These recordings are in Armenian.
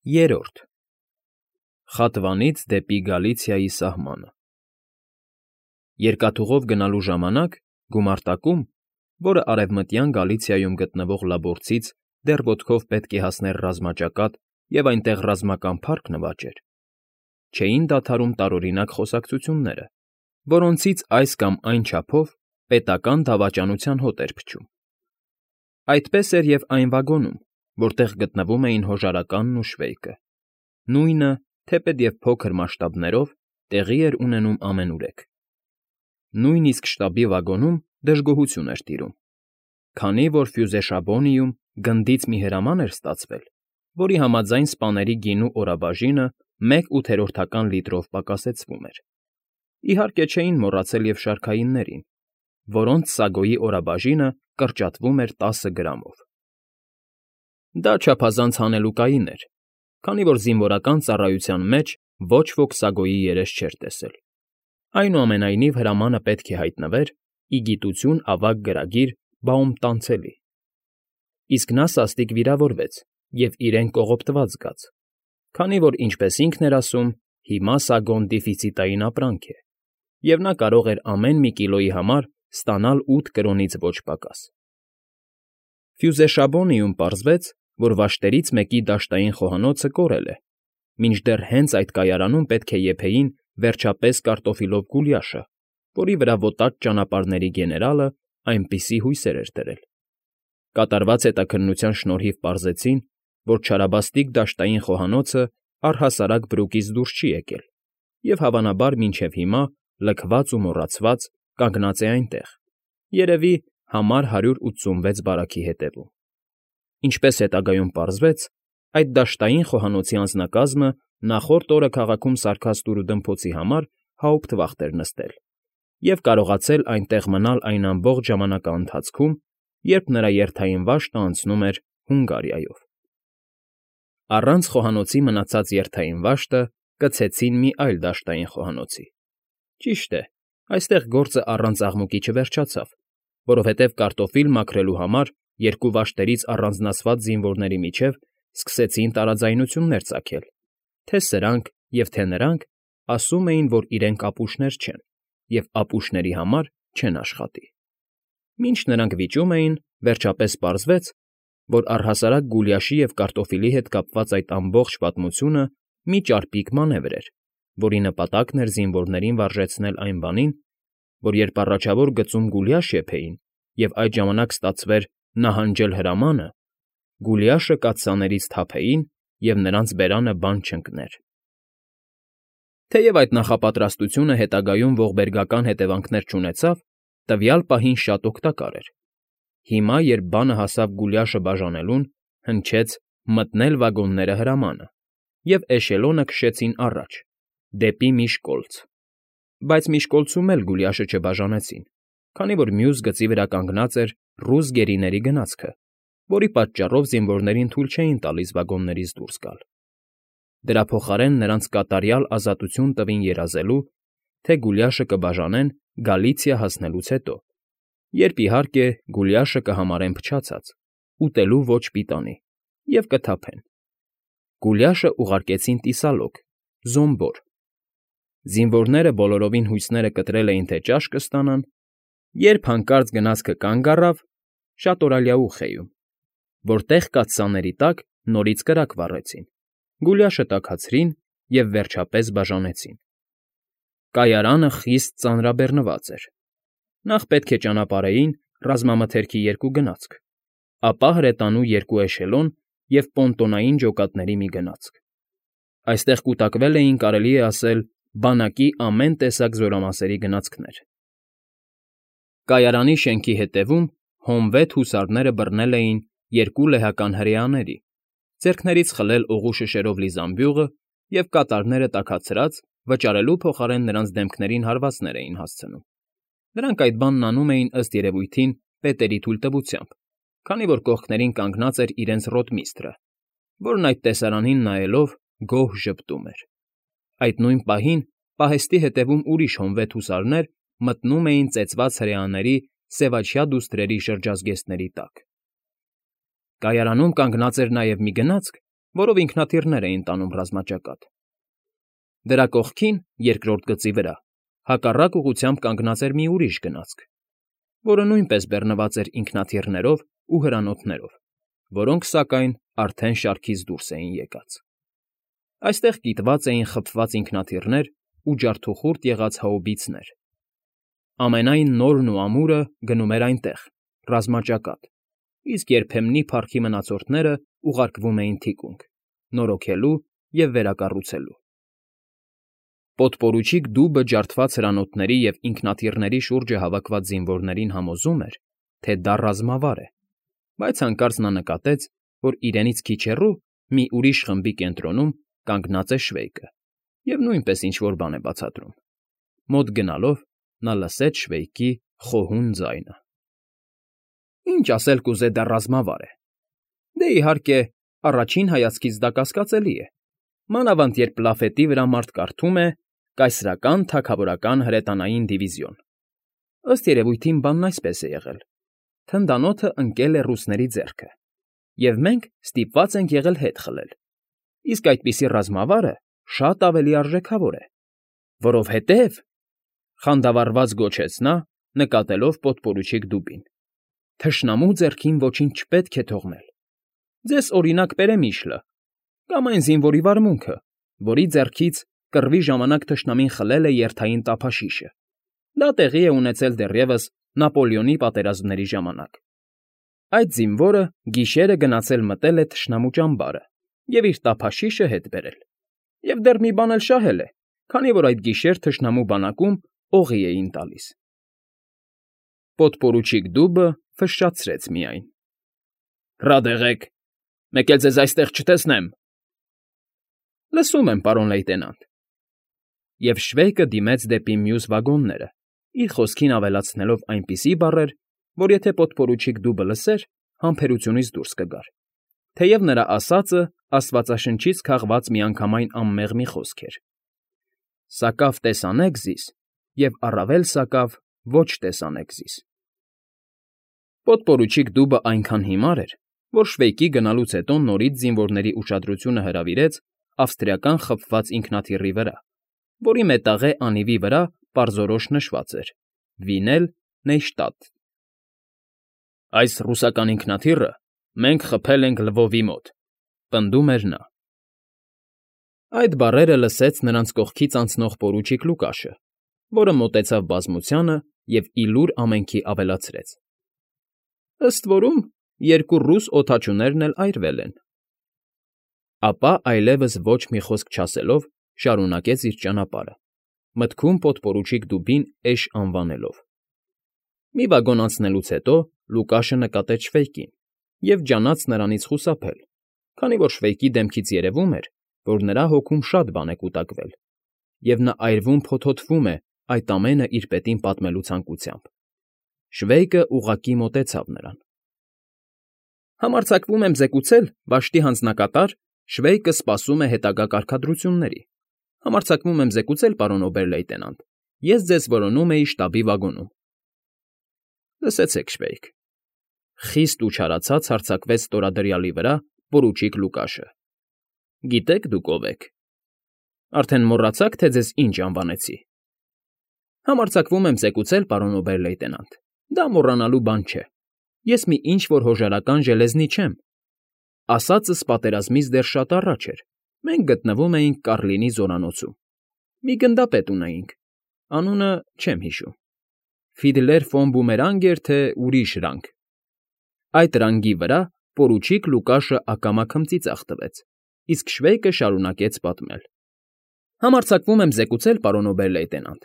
Երրորդ Խատվանից դեպի Գալիցիայի սահմանը Երկաթուղով գնալու ժամանակ գումարտակում, որը արևմտյան Գալիցիայում գտնվող Լաբորցից դեռ ոտքով պետք է հասներ ռազմաճակատ և այնտեղ ռազմական փառք նվաճեր, չէին դադարում տարօրինակ խոսակցությունները, որոնցից այս կամ այն չափով պետական դավաճանության հոտ էր փչում։ Այդպես էր և այն վագոնում, որտեղ գտնվում էին Հոժարականն ու Շվեյկը, նույնը, թեպետ և փոքր մասշտաբներով, տեղի էր ունենում ամենուրեք։ Նույնիսկ շտաբի վագոնում դժգոհություն էր տիրում, քանի որ Ֆյուզեշաբոնիում գնդից մի հրաման էր ստացվել, որի համաձայն սպաների գինու օրաբաժինը 1/8 լիտրով պակասեցվում էր։ Իհարկե չէին մոռացել և շարքայիններին, որոնց սագոյի օրաբաժինը կրճատվում էր 10 գրամով։ Դա չափազանց հանելուկային էր, քանի որ զինվորական ծառայության մեջ ոչ ոք սագոյի երես չէր տեսել։ Այնուամենայնիվ հրամանը պետք է հայտնվեր ի գիտություն ավագ գրագիր Բաումտանցելի, իսկ նա սաստիկ վիրավորվեց և իրեն կողոպտված զգաց, քանի որ, ինչպես ինքն էր ասում, հիմա Սագոն դիֆիցիտային ապրանք է, և նա կարող էր ամեն մի կիլոյի համար ստանալ 8 կրոնից ոչ պակաս։ Ֆյուզեշաբոնիում պարզվեց, որ վաշտերից մեկի դաշտային խոհանոցը կորել է, մինչդեռ հենց այդ կայարանում պետք է եփեին վերջապես կարտոֆիլով գուլյաշը, որի վրա ոտած ճանապարհների գեներալը այնպիսի հույսեր էր դրել։ Կատարված հետաքննության շնորհիվ պարզեցին, որ չարաբաստիկ դաշտային խոհանոցը առհասարակ Բրուկից դուրս չի եկել և, հավանաբար, մինչև հիմա, լքված ու մոռացված, կանգնած է այնտեղ, երևի, համար 186 բարաքի հետևում։ Ինչպես հետագայում պարզվեց, այդ դաշտային խոհանոցի անձնակազմը նախորդ օրը քաղաքում սարքած տուրուդմփոցի համար հաուպտվախտ էր նստել և կարողացել այնտեղ մնալ այն ամբողջ ժամանակաընթացքում, երբ նրա երթային վաշտը անցնում էր Հունգարիայով։ Առանց խոհանոցի մնացած երթային վաշտը կցեցին մի այլ դաշտային խոհանոցի։ Ճիշտ է, այստեղ գործը առանց աղմուկի չվերջացավ, որովհետև կարտոֆիլ մաքրելու համար երկու վաշտերից առանձնացված զինվորների միջև սկսեցին տարաձայնություններ ծագել, թե սրանք և թե նրանք ասում էին, որ իրենք ապուշներ չեն և ապուշների համար չեն աշխատի։ Մինչ նրանք վիճում էին, վերջապես պարզվեց, որ առհասարակ գուլյաշի և կարտոֆիլի հետ կապված այդ ամբողջ պատմությունը մի ճարպիկ մանևր էր, որի նպատակն էր զինվորներին վարժեցնել այն բանին, որ երբ առաջավոր գծում գուլյաշ եփեին և այդ ժամանակ ստացվեր նահանջել հրամանը, գուլյաշը կաթսաներից թափեին և նրանց բերանը բան չընկներ։ Թեև այդ նախապատրաստությունը հետագայում ողբերգական հետևանքներ չունեցավ, տվյալ պահին շատ օգտակար էր։ Հիմա, երբ բանը հասավ գուլյաշը բաժանելուն, հնչեց «մտնել վագոնները» հրամանը, և էշելոնը քշեցին առաջ, դեպի Միշկոլցը, բայց Միշկոլցում էլ գուլյաշը չբաժանեցին, քանի որ մյուս գծի վրա կանգնած էր ռուս գերիների գնացքը, որի պատճառով զինվորներին թույլ չէին տալիս վագոններից դուրս գալ։ Դրա փոխարեն նրանց կատարյալ ազատություն տվին երազելու, թե գուլյաշը կբաժանեն Գալիցիա հասնելուց հետո, երբ, իհարկե, գուլյաշը կհամարեն փչացած, ուտելու ոչ պիտանի, և կթափեն։ Գուլյաշը ուղարկեցին Տիսալոգ, Զոմբոր։ Զինվորները բոլորովին հույսները կտրել էին, թե ճաշ կստանան, երբ հանկարծ գնացքը կանգ առավ Շատորալիաուխեում, որտեղ կաթսաների տակ նորից կրակ վառեցին, գուլյաշը տաքացրին և վերջապես բաժանեցին։ Կայարանը խիստ ծանրաբեռնված էր։ Նախ պետք է ճանապարհեին ռազմամթերքի 2 գնացք, ապա հրետանու 2 էշելոն և պոնտոնային ջոկատների մի գնացք։ Այստեղ կուտակվել էին, կարելի է ասել, բանակի ամեն տեսակ զորամասերի գնացքներ։ Կայարանի շենքի հետևում հոնվետ հուսարները բռնել էին 2 լեհական հրեաների, ձեռքներից խլել օղու շշերով լի զամբյուղը և կատարները տաքացրած վճարելու փոխարեն նրանց դեմքներին հարվածներ էին հասցնում։ Նրանք այդ բանն անում էին, ըստ երևույթին, պետերի թույլտվությամբ, քանի որ կողքներին կանգնած էր իրենց ռոտմիստրը, որն այդ տեսարանին նայելով գոհ ժպտում էր։ Այդ նույն պահին պահեստի հետևում ուրիշ հոնվետ հուսարներ մտնում էին ծեծված հրեաների սևաչյա դուստրերի շրջազգեստների տակ։ Կայարանում կանգնած էր նաև մի գնացք, որով ինքնաթիռներ էին տանում ռազմաճակատ։ Դրա կողքին, երկրորդ գծի վրա, հակառակ ուղղությամբ կանգնած էր մի ուրիշ գնացք, որը նույնպես բեռնված էր ինքնաթիռներով ու հրանոթներով, որոնք, սակայն, արդեն շարքից դուրս էին եկած։ Այստեղ կիտված էին խփված ինքնաթիռներ ու ջարդուխուրդ եղած հաուբիցներ։ Ամենայն նորն ու ամուրը գնում էր այնտեղ, ռազմաճակատ, իսկ երբեմնի փառքի մնացորդները ուղարկվում էին թիկունք, նորոգելու և վերակառուցելու։ Պոդպորուչիկ դուբը ջարդված հրանոթների և ինքնաթիռների շուրջը հավաքված զինվորներին համոզում էր, թե դա ռազմավար է, բայց հանկարծ նա նկատեց, որ իրենից քիչ հեռու մի ուրիշ խմբի կենտրոնում կանգնած է Շվեյկը և նույնպես ինչ֊որ բան է բացատրում։ Մոտ գնալով նա լսեց Շվեյկի խոհուն ձայնը. «Ինչ ասել կուզե, դա ռազմավար է։ Դե, իհարկե, առաջին հայացքից դա կասկածելի է, մանավանդ երբ լաֆետի վրա մարդ կարդում է «Կայսրական թագավորական հրետանային դիվիզիոն»։ Ըստ երևույթին բանն այսպես է եղել. թնդանոթը ընկել է ռուսների ձեռքը, և մենք ստիպված ենք եղել հետ խլել, իսկ այդպիսի ռազմավարը շատ ավելի արժեքավոր է, որովհետև, խանդավառված գոչեց նա, նկատելով պոդպորուչիկ դուբին, թշնամու ձեռքին ոչինչ չպետք է թողնել։ Ձեզ օրինակ բերեմ Իշլը, կամ այն զինվորի վարմունքը, որի ձեռքից կռվի ժամանակ թշնամին խլել է երթային տափաշիշը։ Դա տեղի է ունեցել դեռևս Նապոլեոնի պատերազմների ժամանակ։ Այդ զինվորը գիշերը գնացել մտել է թշնամու ճամբարը և իր տափաշիշը հետ բերել, և դեռ մի բան էլ շահել է, քանի որ այդ գիշեր թշնամու բանակում օղի էին տալիս»։ Պոդպորուչիկ դուբը ֆշշացրեց միայն. «Ռադ եղեք, մեկ էլ ձեզ այստեղ չտեսնեմ»։ «Լսում եմ, պարոն լեյտենանտ»։ Եվ Շվեյկը դիմեց դեպի մյուս վագոնները, իր խոսքին ավելացնելով այնպիսի բառեր, որ եթե պոդպորուչիկ դուբը լսեր, համբերությունից դուրս կգար, թեև նրա ասածը աստվածաշնչից քաղված միանգամայն անմեղ մի խոսք էր. «Սակավ տեսանեք զիս, և առավել սակավ ոչ տեսանեք զիս»։ Պոդպորուչիկ դուբը այնքան հիմար էր, որ Շվեյկի գնալուց հետո նորից զինվորների ուշադրությունը հրավիրեց ավստրիական խփված ինքնաթիռի վրա, որի մետաղե անիվի վրա պարզորոշ նշված էր. «Վինել Նեյշտադտ»։ «Այս ռուսական ինքնաթիռը մենք խփել ենք Լվովի մոտ», պնդում էր նա։ Այդ բառերը լսեց նրանց կողքից անցնող պորուչիկ Լուկաշը, որը մոտեցավ բազմությանը և ի լուր ամենքի ավելացրեց. «Ըստ որում երկու ռուս օդաչուներն էլ այրվել են»։ Ապա այլևս ոչ մի խոսք չասելով շարունակեց իր ճանապարհը, մտքում պոդպորուչիկ դուբին էշ անվանելով։ Մի վագոն անցնելուց հետո Լուկաշը նկատեց Շվեյկին և ջանաց նրանից խուսափել, քանի որ Շվեյկի դեմքից երևում էր, որ նրա հոգում շատ բան է կուտակվել, և նա այրվում փոթոթվում է այդ ամենը իր պետին պատմելու ցանկությամբ։ Շվեյկը ուղղակի մոտեցավ նրան։ «Համարձակվում եմ զեկուցել, վաշտի հանձնակատար Շվեյկը սպասում է հետագա կարգադրությունների։ Համարձակվում եմ զեկուցել, պարոն օբեր֊լեյտենանտ, ես ձեզ որոնում էի շտաբի վագոնում»։ «Լսեցեք, Շվեյկ», խիստ ու չարացած հարձակվեց ստորադրյալի վրա պորուչիկ Լուկաշը։ «Գիտեք դուք ով եք։ Արդեն մոռացաք, թե ձեզ ինչ անվանեցի»։ «Համարձակվում եմ զեկուցել, պարոն օբեր֊լեյտենանտ, դա մոռանալու բան չէ։ Ես մի ինչ֊որ հոժարական ժելեզնի չեմ։ Ասածս պատերազմից դեռ շատ առաջ էր, մենք գտնվում էինք Կառլինի զորանոցում։ Մի գնդապետ ունեինք, անունը չեմ հիշում։ Ֆիդլեր ֆոն Բումերանգ էր, թե ուրիշ ռանգ։ Այդ ռանգի վրա պորուչիկ Լուկաշը ակամա քմծիծաղ տվեց, իսկ Շվեյկը շարունակեց պատմել. «Համարձակվում եմ զեկուցել, պարոն օբեր֊լեյտենանտ,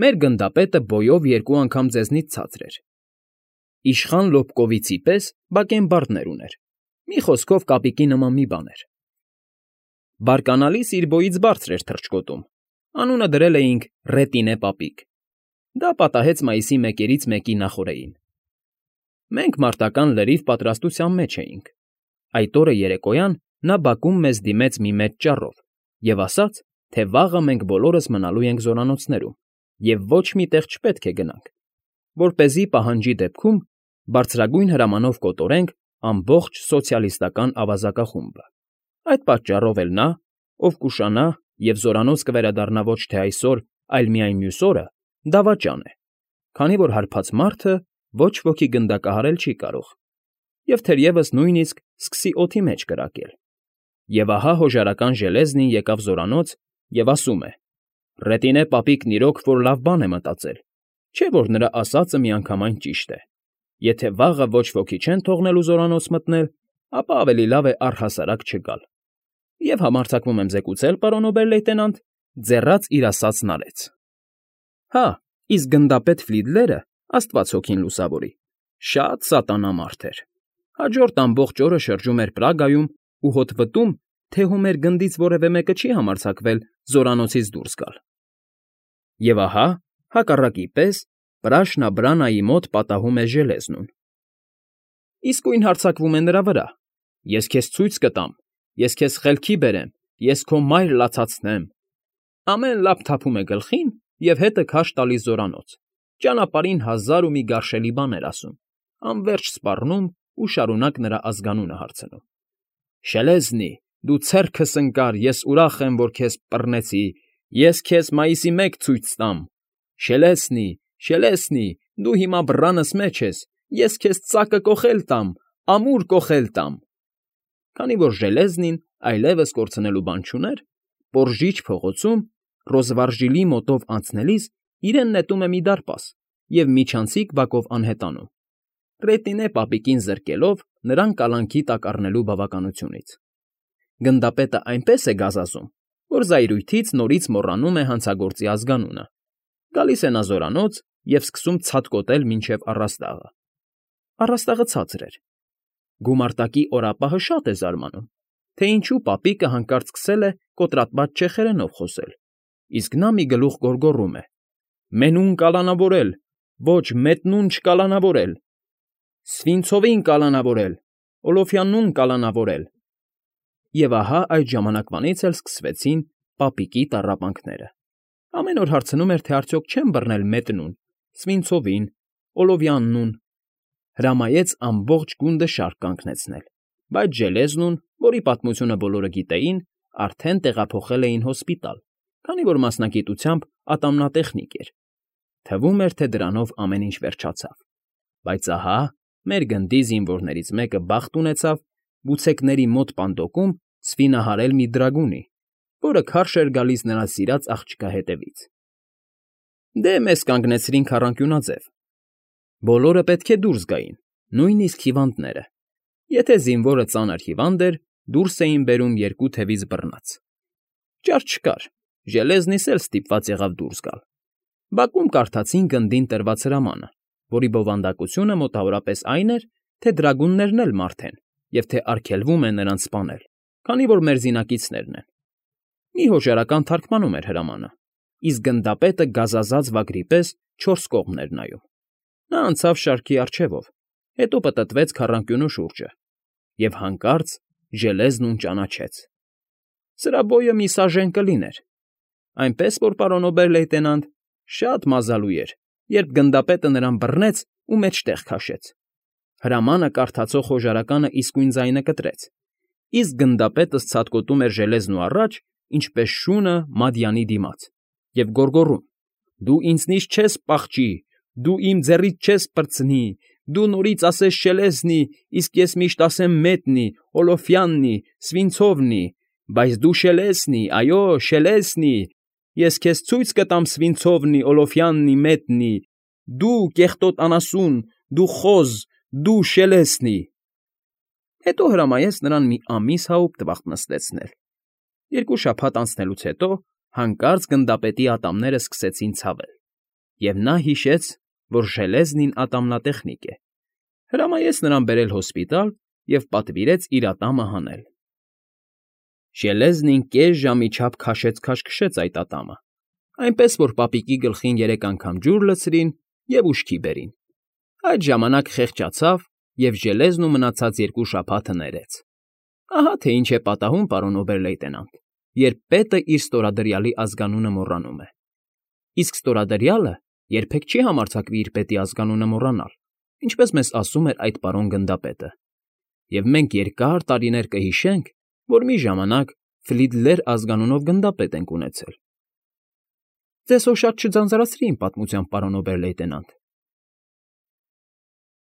մեր գնդապետը բոյով երկու անգամ ձեզնից ցածր էր։ Իշխան Լոբկովիցի պես բակենբարդներ ուներ, մի խոսքով կապիկի նման մի բան էր։ Բարկանալիս իր բոյից բարձր էր թռչկոտում, անունը դրել էինք Ռետինե պապիկ։ Դա պատահեց մայիսի 1-ից 1-ի նախօրեին։ Մենք մարտական լրիվ պատրաստության մեջ էինք։ Այդ օրը երեկոյան նա բակում մեզ դիմեց մի մեծ ճառով և ասաց, թե վաղը մենք բոլորս մնալու ենք զորանոցներում և ոչ մի տեղ չպետք է գնանք, որպեսզի պահանջի դեպքում բարձրագույն հրամանով կոտորենք ամբողջ սոցիալիստական ավազակախումբը։ Այդ պատճառով էլ նա, ով կուշանա և զորանոց կվերադառնա ոչ թե այսօր, այլ միայն մյուս օրը, դավաճան է, քանի որ հարբած մարդը ոչ ոքի գնդակահարել չի կարող, և թերևս նույնիսկ սկսի օդի մեջ կրակել։ Եվ ահա հոժարական ժելեզնին եկավ զորանոց և ասում է. «Ռետինե պապիկն իրոք որ լավ բան է մտածել, չէ՞ որ նրա ասածը միանգամայն ճիշտ է։ Եթե վաղը ոչ ոքի չեն թողնելու զորանոց մտնել, ապա ավելի լավ է առհասարակ չգալ։ Եվ համարձակվում եմ զեկուցել, պարոն օբեր֊լեյտենանտ, ձեռաց իր ասածն արեց»։ Հա, իսկ գնդապետ Ֆլիդլերը, աստված հոգին լուսավորի, շատ սատանա մարդ էր։ Հաջորդ ամբողջ օրը շրջում էր Պրագայում ու հոտվտում, թե հո մեր գնդից որևէ մեկը չի համարձակվել զորանոցից դուրս գալ։ Եվ ահա, հակառակի պես, Պրաշնաբրանայի մոտ պատահում է ժելեզնուն։ Իսկույն հարձակվում է նրա վրա. «Ես քեզ ցույց կտամ, ես քեզ խելքի բերեմ, ես քո մայր լացացնեմ»։ Ամեն լապ թափում է գլխին և հետը քարշ տալիս զորանոց, ճանապարհին հազար ու մի գարշելի բաներ ասում, անվերջ սպառնում ու շարունակ նրա ազգանունը հարցնում. «Շելեզնի, դու ցերքս ընկար, ես ուրախ եմ, որ քեզ բռնեցի, ես քեզ մայիսի 1 ցույց տամ։ Շելեսնի, Շելեսնի, դու հիմա բռանս մեջ ես, ես քեզ ծակը կոխել տամ, ամուր կոխել տամ»։ Քանի որ ժելեզնին այլևս կորցնելու բան չուներ, Պորժիչ փողոցում, Ռոզվարժիլի մոտով անցնելիս իրեն նետում է մի դարպաս և միջանցիկ բակով անհետանում, Ռետինե պապիկին զրկելով նրան կալանքի տակ առնելու բավականությունից։ Գնդապետը այնպես է գազազում, որ զայրույթից նորից մոռանում է հանցագործի ազգանունը։ Գալիս է նա զորանոց և սկսում ցատկոտել մինչև առաստաղը։ Առաստաղը ցածր էր։ Գումարտակի օրապահը շատ է զարմանում, թե ինչու պապիկը հանկարծ սկսել է կոտրատված չեխերենով խոսել, իսկ նա մի գլուխ գոռգոռում է. «Մենուն կալանավորել, ոչ մետնուն չկալանավորել, Սվինցովին կալանավորել, Օլոֆյաննուն կալանավորել»։ Եվ ահա այդ ժամանակվանից էլ սկսվեցին պապիկի տառապանքները։ Ամեն օր հարցնում էր, թե արդյոք չեն բռնել մետնուն, Սվինցովին, Օլովյաննուն։ Հրամայեց ամբողջ գունդը շարք կանգնեցնել, բայց ժելեզնուն, որի պատմությունը բոլորը գիտեին, արդեն տեղափոխել էին հոսպիտալ, քանի որ մասնագիտությամբ ատամնատեխնիկ էր։ Թվում էր, թե դրանով ամեն ինչ վերջացավ։ Բայց ահա մեր գնդի զինվորներից մեկը բախտ ունեցավ բուցեկների մոտ պանդոկում սվինահարել մի դրագունի, որը քարշ էր գալիս նրա սիրած աղջկա հետևից։ Դե մեզ կանգնեցրին քառանկյունաձև։ Բոլորը պետք է դուրս գային, նույնիսկ հիվանդները։ Եթե զինվորը ծանր հիվանդ էր, դուրս էին բերում երկու թևից բռնած։ Ճար չկար, ժելեզնիս էլ ստիպված եղավ դուրս գալ։ Բակում կարդացին գնդին տրված հրամանը, որի բովանդակությունը մոտավորապես այն էր, թե դրագուններն էլ մարդ են և թե արգելվում է նրանց սպանել, քանի որ մերձինակիցներն են։ Մի հոժարական թարգմանում էր հրամանը, իսկ գնդապետը գազազած վագրի պես 4 կողմն էր նայում։ Նա անցավ շարքի առջևով, հետո պտտվեց քառանկյունու շուրջը և հանկարծ ժելեզնուն ճանաչեց։ Սրա բոյը մի սաժեն կլիներ, այնպես որ, պարոն օբեր֊լեյտենանտ, շատ մազալու էր, երբ գնդապետը նրան բռնեց ու մեջտեղ քաշեց։ Հրամանը կարդացող հոժարականը իսկույն ձայնը կտրեց, իսկ գնդապետը ցատկոտում էր ժելեզնու առաջ, ինչպես շունը մադյանի դիմաց, և գոռգոռում. «Դու ինձնից չես պախչի, դու իմ ձեռից չես պրծնի, դու նորից ասես Շելեզնի, իսկ ես միշտ ասեմ Մետնի, Օլոֆյաննի, Սվինցովնի, բայց դու Շելեսնի, այո, Շելեսնի, ես քեզ ցույց կտամ Սվինցովնի, Օլոֆյաննի, Մետնի, դու կեղտոտ անասուն, դու խոզ, դու Շելեսնի»։ Հետո հրամայեց նրան մի ամիս հաուպտվախտ նստեցնել։ 2 շաբաթ անցնելուց հետո հանկարծ գնդապետի ատամները սկսեցին ցավել, և նա հիշեց, որ Ժելեզնին ատամնատեխնիկ է։ Հրամայեց նրան բերել հոսպիտալ և պատվիրեց իր ատամը հանել։ Ժելեզնին կես ժամի չափ քաշեց այդ ատամը, այնպես որ պապիկի գլխին 3 անգամ ջուր լցրին և ուշքի բերին։ Այդ ժամանակ խեղճացավ և ժելեզնու մնացած 2 շաբաթը ներեց։ Ահա թե ինչ է պատահում, պարոն օբեր֊լեյտենանտ, երբ պետը իր ստորադրյալի ազգանունը մոռանում է։ Իսկ ստորադրյալը երբեք չի համարձակվի իր պետի ազգանունը մոռանալ, ինչպես մեզ ասում էր այդ պարոն գնդապետը։ Եվ մենք երկար տարիներ կհիշենք, որ մի ժամանակ Ֆլիդլեր ազգանունով գնդապետ ենք ունեցել։ ֊ Ձեզ հո շատ չձանձրացրի իմ պատմությամբ, պարոն օբեր֊լեյտենանտ։